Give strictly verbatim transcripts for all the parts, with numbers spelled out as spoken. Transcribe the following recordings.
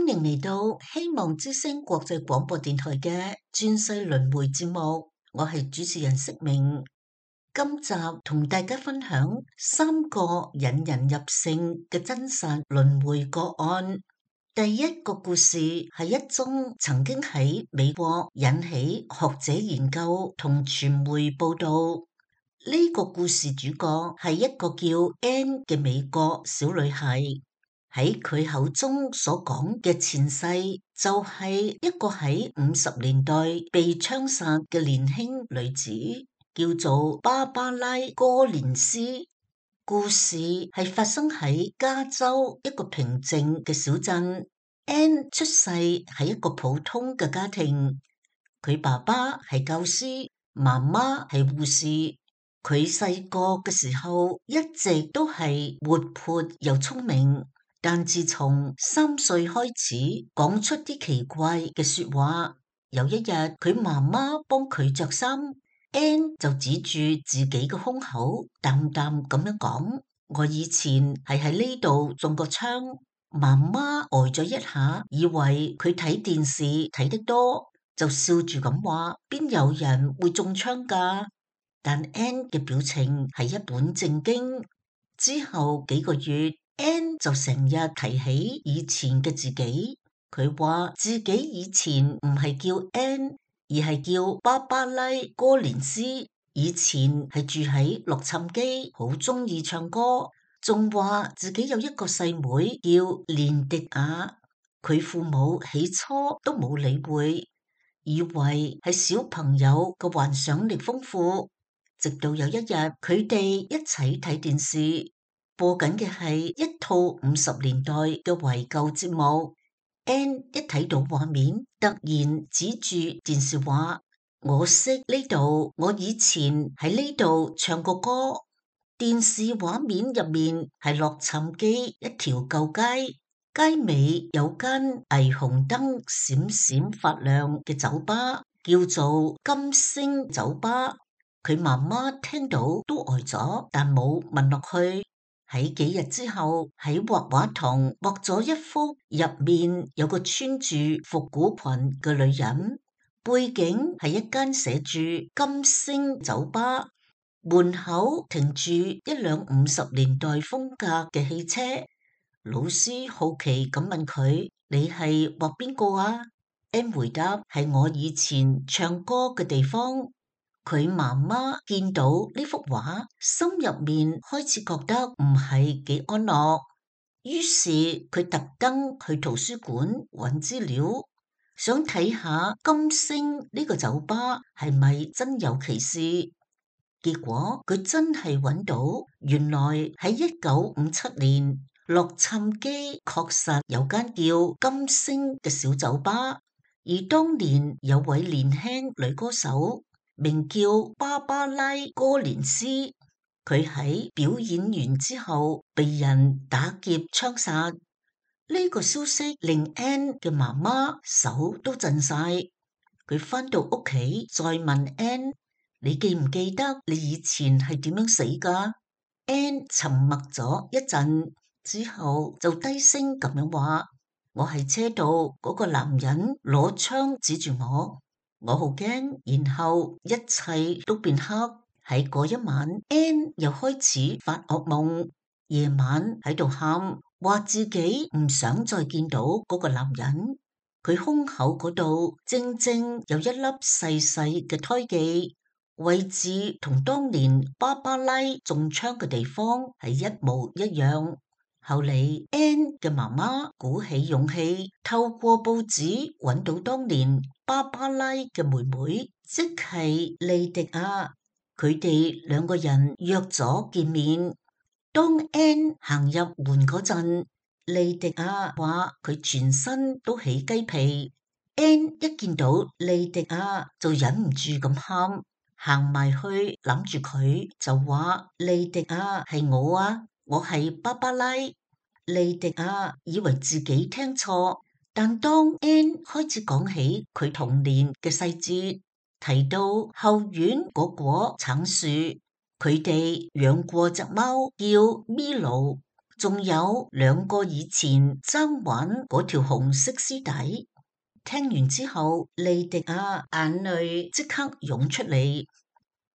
歡迎嚟到希望之聲國際廣播電台嘅轉世輪迴節目，我係主持人釋明。今集同大家分享三個引人入勝嘅真實輪迴個案。第一個故事係一宗曾經喺美國引起學者研究同傳媒報道。呢個故事主角係一個叫 Anne 嘅美國小女孩。喺佢口中所講嘅前世就係一個喺五十年代被槍殺嘅年輕女子，叫做芭芭拉哥連斯。故事係發生喺加州一個平靜嘅小鎮。Anne 出世喺一個普通嘅家庭，佢爸爸係教師，媽媽係護士。佢細個嘅時候一直都係活潑又聰明。但自從三歲開始講出啲奇怪嘅說話，有一日佢媽媽幫佢着衫 ，Anne 就指住自己嘅胸口，淡淡咁樣講：我以前係喺呢度中過槍。媽媽呆咗一下，以為佢睇電視睇得多，就笑住咁話：邊有人會中槍㗎？但 Anne 嘅表情係一本正經。之後幾個月，Anne 就成日提起以前嘅自己。佢話自己以前唔係叫 Anne，而係叫芭芭拉哥連斯。以前係住喺洛杉磯，好中意唱歌，仲話自己有一個細妹叫連迪亞。佢父母起初都冇理會，以為係小朋友嘅幻想力豐富。直到有一日，佢哋一齊睇電視，播緊嘅係一套五十年代嘅懷舊節目。Anne 一睇到畫面，突然指住電視話：我識呢度，我以前喺呢度唱過歌。電視畫面入面係洛杉磯一條舊街，街尾有間霓虹燈閃閃發亮嘅酒吧，叫做金星酒吧。佢媽媽聽到都呆咗，但冇問落去。喺幾日之後，喺畫畫堂畫咗一幅入面有個穿住復古裙嘅女人，背景係一間寫住金星酒吧，門口停住一輛五十年代風格嘅汽車。老師好奇咁問佢：你係畫邊個啊？Anne回答：係我以前唱歌嘅地方。佢媽媽見到呢幅畫，心入面開始覺得唔係幾安樂，於是佢特登去圖書館揾資料，想睇下金星呢個酒吧係咪真有其事。結果佢真係揾到，原來喺一九五七年，洛杉磯確實有間叫金星嘅小酒吧，而當年有位年輕女歌手，名叫芭芭拉哥連斯，佢喺表演完之後被人打劫槍殺。呢個消息令 Anne 嘅媽媽手都震晒。佢返到屋企再問 Anne：你記唔記得你以前係點樣死㗎？ Anne 沉默咗一陣之後就低聲咁樣話：我喺車度，嗰個男人攞槍指住我。我好驚，然後一切都變黑。喺嗰一晚 Anne 又開始發噩夢，夜晚喺度喊，話自己唔想再見到嗰個男人。佢胸口嗰度正正有一粒細細嘅胎記，位置同當年芭芭拉中槍嘅地方係一模一樣。後嚟 Anne 嘅媽媽鼓起勇氣，透過報紙揾到當年芭芭拉嘅妹妹，即係莉迪亞。佢哋兩個人約咗見面。當 Anne 行入門嗰陣，莉迪亞話佢全身都起雞皮。Anne 一見到莉迪亞就忍唔住咁喊，行埋去攬住佢就話：莉迪亞係我啊！我係芭芭拉。莉迪亞以為自己聽錯，但當 Anne 開始講起佢童年嘅細節，提到後院嗰棵橙樹，佢哋養過隻貓叫咪嚕，仲有兩個以前爭玩嗰條紅色絲帶。聽完之後，莉迪亞眼淚即刻湧出嚟。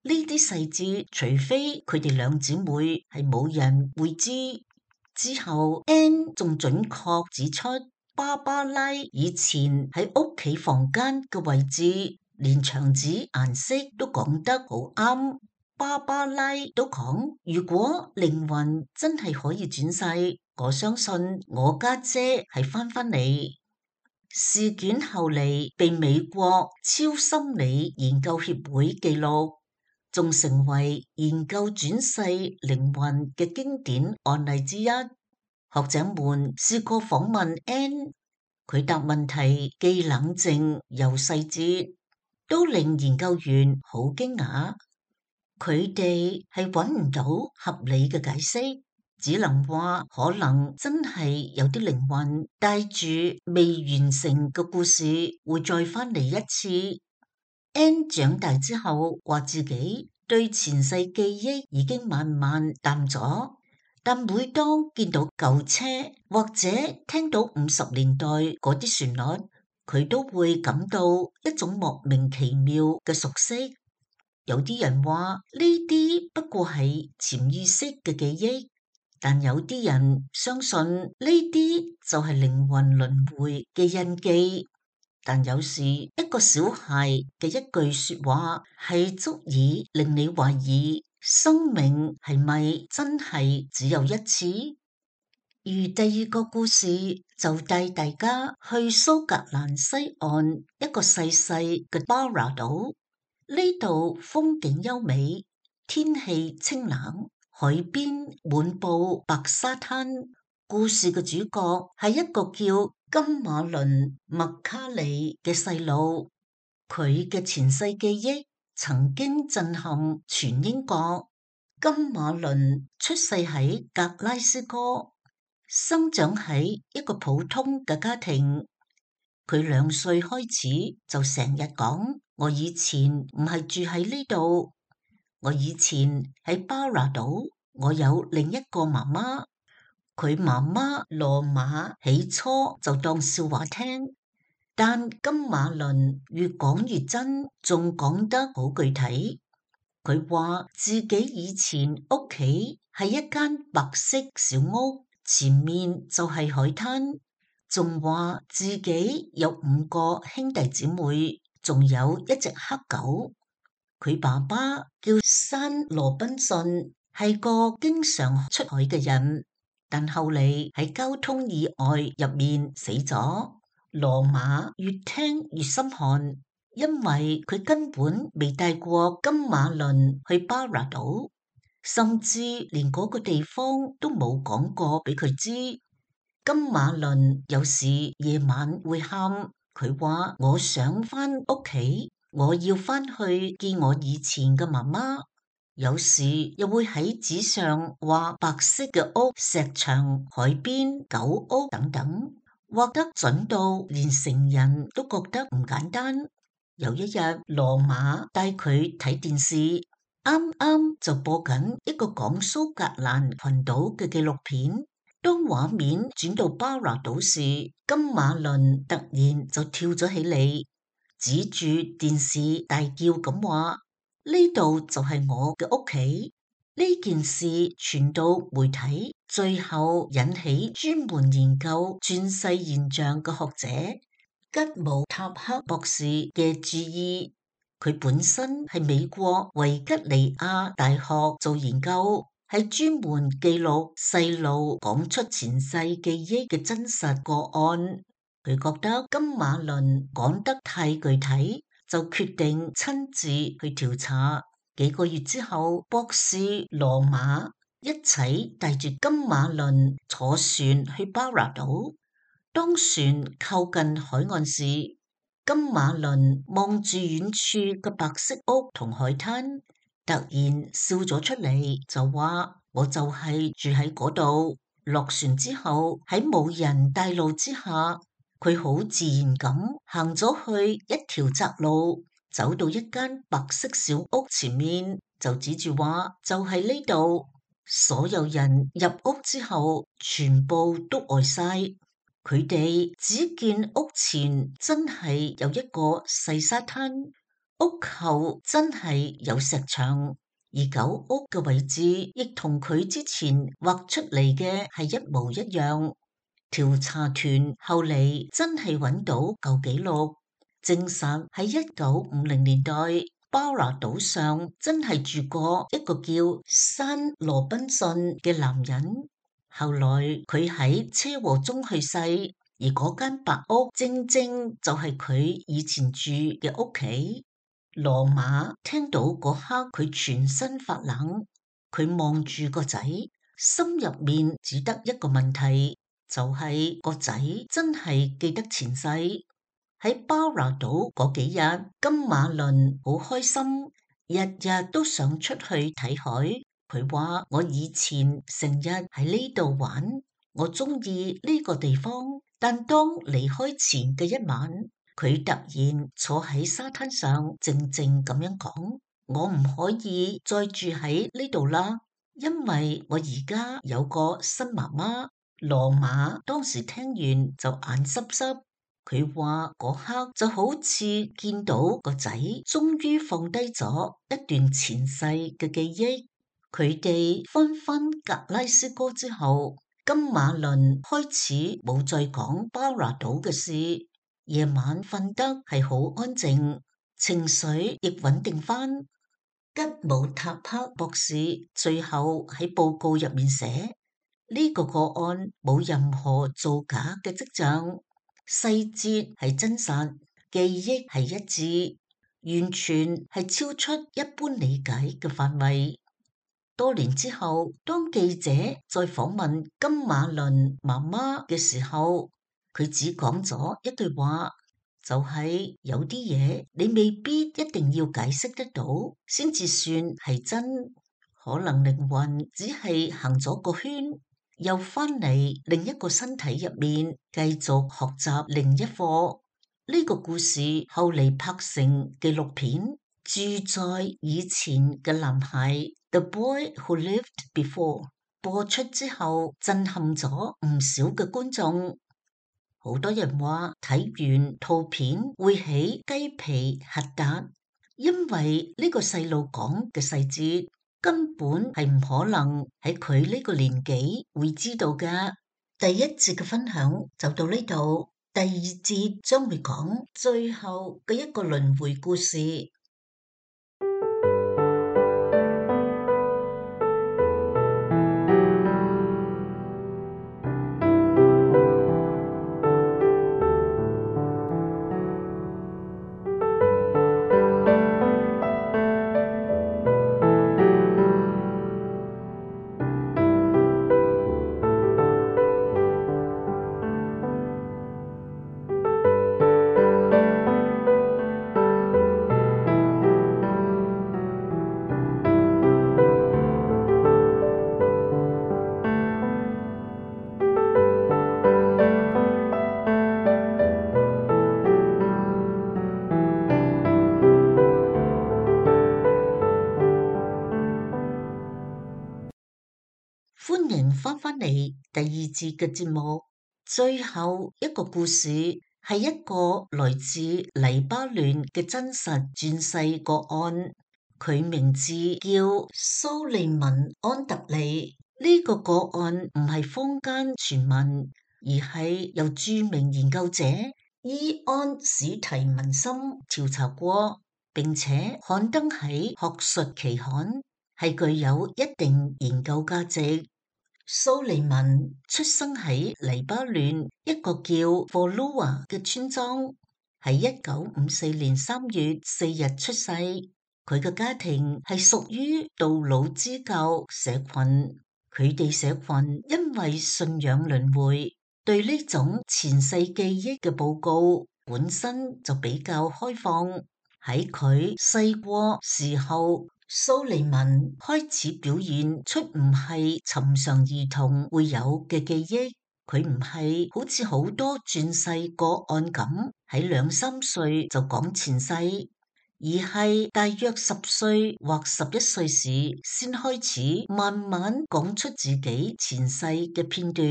呢啲細節，除非佢哋兩姊妹係冇人會知。之後 Anne 仲準確指出，芭芭拉以前喺屋企房間嘅位置，連牆紙顏色都講得好啱。芭芭拉都講，如果靈魂真係可以轉世，我相信我家姐係翻返嚟。事件後嚟被美國超心理研究協會記錄，仲成為研究轉世靈魂嘅經典案例之一。學者們試過訪問 Anne， 佢答問題既冷靜又細緻，都令研究員好驚訝。佢哋係揾唔到合理嘅解釋，只能話可能真係有啲靈魂帶住未完成嘅故事會再返嚟一次。Anne 長大之後話自己對前世記憶已經慢慢淡咗，但每當見到舊車或者聽到五十年代嗰啲旋律，佢都會感到一種莫名其妙嘅熟悉。有啲人話呢啲不過係潛意識嘅記憶，但有啲人相信呢啲就係靈魂輪迴嘅印記。但有時一個小孩嘅一句說話係足以令你懷疑生命係咪真係只有一次。而第二個故事就帶大家去蘇格蘭西岸一個細細嘅巴拿島。呢度風景優美，天氣清冷，海邊滿布白沙灘。故事嘅主角係一個叫金馬倫麥卡里嘅細路，佢嘅前世記憶曾經震撼全英國。金馬倫出世喺格拉斯哥，生長喺一個普通嘅家庭。佢兩歲開始就成日講，我以前唔係住喺呢度，我以前喺巴拿島，我有另一個媽媽。佢媽媽羅馬起初就當笑話聽，但金馬倫越講越真，仲講得好具體。佢話自己以前屋企係一間白色小屋，前面就係海灘，仲話自己有五個兄弟姊妹，仲有一隻黑狗。佢爸爸叫山羅賓遜，係個經常出海嘅人，但後嚟喺交通意外入面死咗。羅馬越聽越心寒，因為佢根本未帶過金馬倫去巴拿島，甚至連嗰個地方都冇講過俾佢知。金馬倫有時夜晚會喊，佢話我想返屋企，我要返去見我以前嘅媽媽。有時又會喺紙上畫白色嘅屋、石牆、海邊、狗屋等等，畫得準到連成人都覺得唔簡單。有一日，羅馬帶佢睇電視，啱啱就播緊一個講蘇格蘭群島嘅紀錄片。當畫面轉到巴拿島時，金馬倫突然就跳咗起嚟，指住電視大叫咁話：呢度就係我嘅屋企。呢件事傳到媒體，最後引起專門研究轉世現象嘅學者吉姆塔克博士嘅注意。佢本身係美國維吉尼亞大學做研究，係專門記錄細路講出前世記憶嘅真實個案。佢覺得金馬倫講得太具體，就決定親自去調查。幾個月之後，博士羅馬一齊帶住金馬倫坐船去巴拿島。當船靠近海岸時，金馬倫望住遠處嘅白色屋同海灘，突然笑咗出嚟，就話：我就係住喺嗰度。落船之後，喺冇人帶路之下，佢好自然咁行咗去一條窄路，走到一間白色小屋前面，就指住話：就係呢度。所有人入屋之後，全部都呆晒。佢哋只見屋前真係有一個細沙灘，屋後真係有石牆，而狗屋嘅位置亦同佢之前畫出嚟嘅係一模一樣。調查團後嚟真係揾到舊紀錄，證實喺一九五零年代，巴拿島上真係住過一個叫山羅賓遜嘅男人。後來佢喺車禍中去世，而嗰間白屋正正就係佢以前住嘅屋企。羅馬聽到嗰刻，佢全身發冷，佢望住個仔，心入面只得一個問題，就係、是、個仔真係記得前世。喺巴拿島嗰幾日，金馬倫好開心，日日都想出去睇海。佢話：我以前成日喺呢度玩，我中意呢個地方。但當離開前嘅一晚，佢突然坐喺沙灘上，靜靜咁樣講：我唔可以再住喺呢度啦，因為我而家有個新媽媽。羅馬當時聽完就眼濕濕。佢話嗰刻就好似見到個仔終於放低咗一段前世嘅記憶。佢哋翻返格拉斯哥之後，金馬倫開始冇再講巴拿島嘅事。夜晚瞓得係好安靜，情緒亦穩定翻。吉姆塔克博士最後喺報告入面寫，呢個個案冇任何造假嘅跡象，細節係真實，記憶係一致，完全係超出一般理解嘅範圍。多年之後，當記者再訪問金馬倫媽媽嘅時候，佢只講咗一句話，就係有啲嘢你未必一定要解釋得到，先至算係真。可能靈魂只係行咗個圈，又翻嚟另一個身體入面，繼續學習另一課。呢個故事後嚟拍成紀錄片，住在以前嘅男孩 The Boy Who Lived Before 播出之後，震撼咗唔少嘅觀眾。好多人話睇完圖片會起雞皮疙瘩，因為呢個細路講嘅細節根本係唔可能喺佢呢個年紀會知道㗎。第一節嘅分享就到呢度，第二節將會講最後嘅一個輪迴故事。歡迎翻返嚟第二節嘅節目，最後一個故事係一個來自黎巴嫩嘅真實轉世個案，佢名字叫蘇利文安特利。呢個個案唔係坊間傳聞，而係由著名研究者伊安史提文森調查過，並且刊登喺學術期刊，係具有一定研究價值。蘇利文出生喺黎巴嫩一個叫霍魯瓦嘅村莊，喺一九五四年三月四日出世。佢嘅家庭係屬於杜魯支教社群，佢哋社群因為信仰輪迴，對呢種前世記憶嘅報告本身就比較開放。喺佢細個時候，蘇利文開始表現出唔係尋常兒童會有嘅記憶，佢唔係好似好多轉世個案咁喺兩三歲就講前世，而係大約十歲或十一歲時先開始慢慢講出自己前世嘅片段。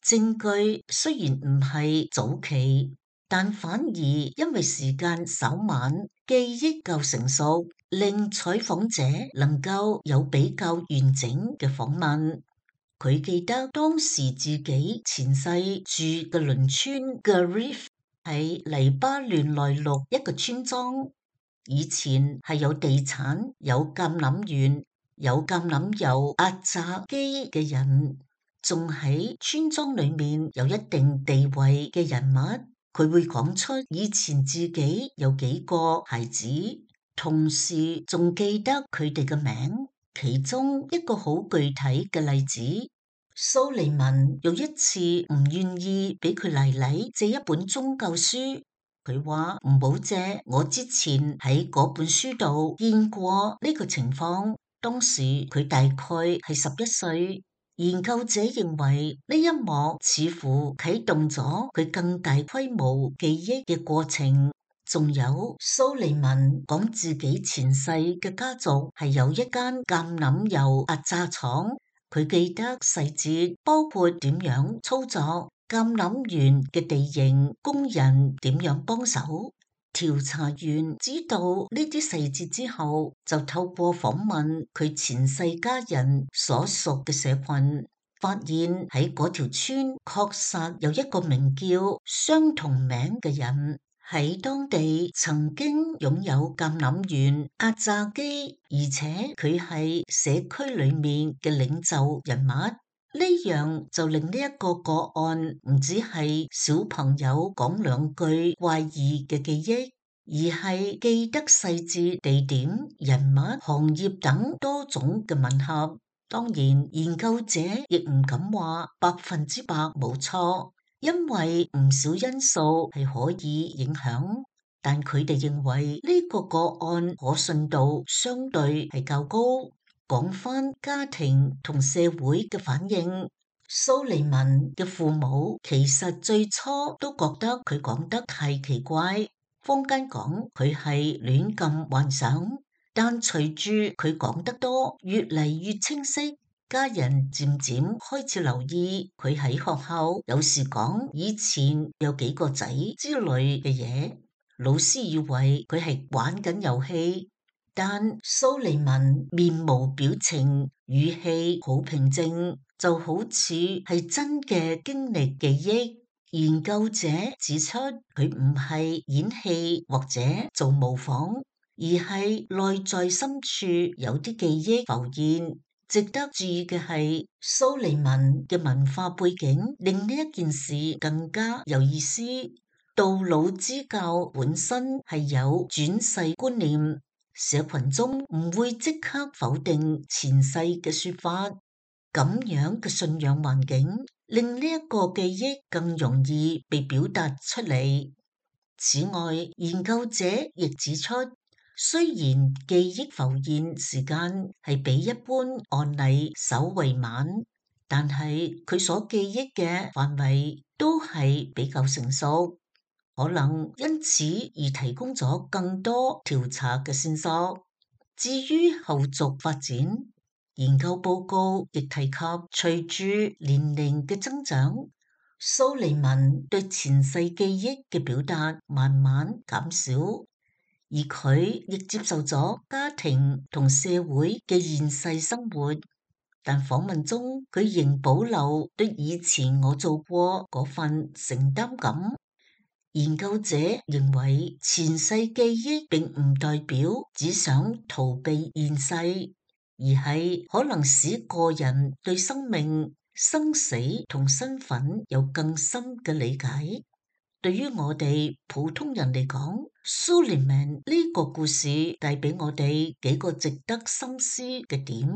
證據雖然唔係早期，但反而因為時間稍晚，記憶夠成熟，令採訪者能夠有比較完整嘅訪問。佢記得當時自己前世住嘅鄰村 Garif 喺黎巴嫩內陸一個村莊。以前係有地產、有橄欖園、有橄欖油壓榨機嘅人，仲喺村莊裏面有一定地位嘅人物。佢會講出以前自己有幾個孩子，同時仲記得佢哋嘅名。其中一個好具體嘅例子，蘇利文有一次唔願意俾佢奶奶借一本宗教書。佢話唔好借，我之前喺嗰本書度見過呢個情況。當時佢大概係十一歲。研究者認為呢一幕似乎啟動咗佢更大規模記憶嘅過程。仲有蘇利文講自己前世嘅家族係有一間橄欖油壓榨廠，佢記得細節，包括點樣操作橄欖園嘅地形，工人點樣幫手。調查員知道呢啲細節之後，就透過訪問佢前世家人所屬嘅社群，發現喺嗰條村確實有一個名叫相同名嘅人，喺當地曾經擁有橄欖園壓榨機，而且佢係社區裏面嘅領袖人物。呢樣就令呢一個個案唔只係小朋友講兩句怪異嘅記憶，而係記得細節、地點、人物、行業等多種嘅吻合。當然，研究者亦唔敢話百分之百冇錯，因為唔少因素係可以影響。但佢哋認為呢個個案可信度相對係較高。講返家庭同社會嘅反應，蘇利文嘅父母其實最初都覺得佢講得太奇怪，坊間講佢係亂咁幻想。但隨住佢講得多，越嚟越清晰，家人漸漸開始留意佢喺學校有時講以前有幾個仔之類嘅嘢，老師以為佢係玩緊遊戲。但蘇利文面無表情，語氣好平靜，就好似係真嘅經歷記憶。研究者指出，佢唔係演戲或者做模仿，而係內在深處有啲記憶浮現。值得注意嘅係，蘇利文嘅文化背景令呢一件事更加有意思。道老之教本身係有轉世觀念。社群中唔會即刻否定前世嘅說法，咁樣嘅信仰環境令呢一個記憶更容易被表達出嚟。此外，研究者亦指出，雖然記憶浮現時間係比一般案例稍為慢，但係佢所記憶嘅範圍都係比較成熟。可能因此而提供咗更多調查嘅線索。至於後續發展，研究報告亦提及，隨住年齡嘅增長，蘇利文對前世記憶嘅表達慢慢減少，而佢亦接受咗家庭同社會嘅現世生活。但訪問中，佢仍保留對以前我做過嗰份承擔感。研究者認為前世記憶並唔代表只想逃避現世，而係可能使個人對生命、生死同身份有更深嘅理解。對於我哋普通人嚟講，蘇利文呢個故事帶俾我哋幾個值得深思嘅點。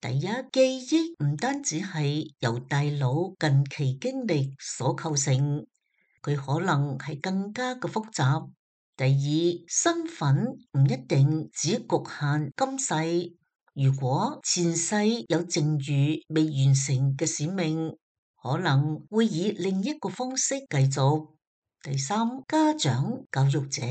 第一，記憶唔單止係由大腦近期經歷所構成，佢可能係更加嘅複雜。第二，身份唔一定只局限今世，如果前世有剩餘未完成嘅使命，可能會以另一個方式繼續。第三，家長、教育者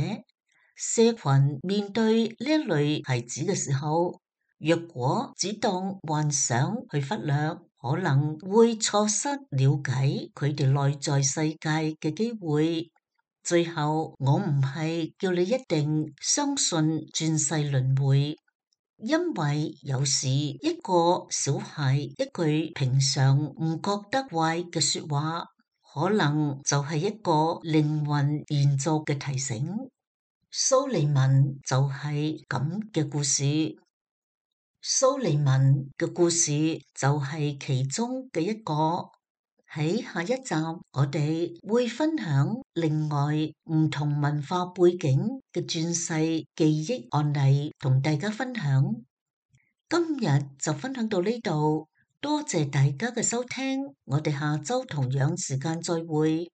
社群面對呢一類孩子嘅時候，若果只當幻想去忽略，可能會錯失了解佢哋內在世界嘅機會。最後，我唔係叫你一定相信轉世輪迴，因為有時一個小孩一句平常唔覺得怪嘅說話，可能就係一個靈魂延續嘅提醒。蘇利文就係咁嘅故事，蘇利文嘅故事就係其中嘅一個。喺下一集，我哋會分享另外唔同文化背景嘅轉世記憶案例，同大家分享。今日就分享到呢度，多謝大家嘅收聽，我哋下周同樣時間再會。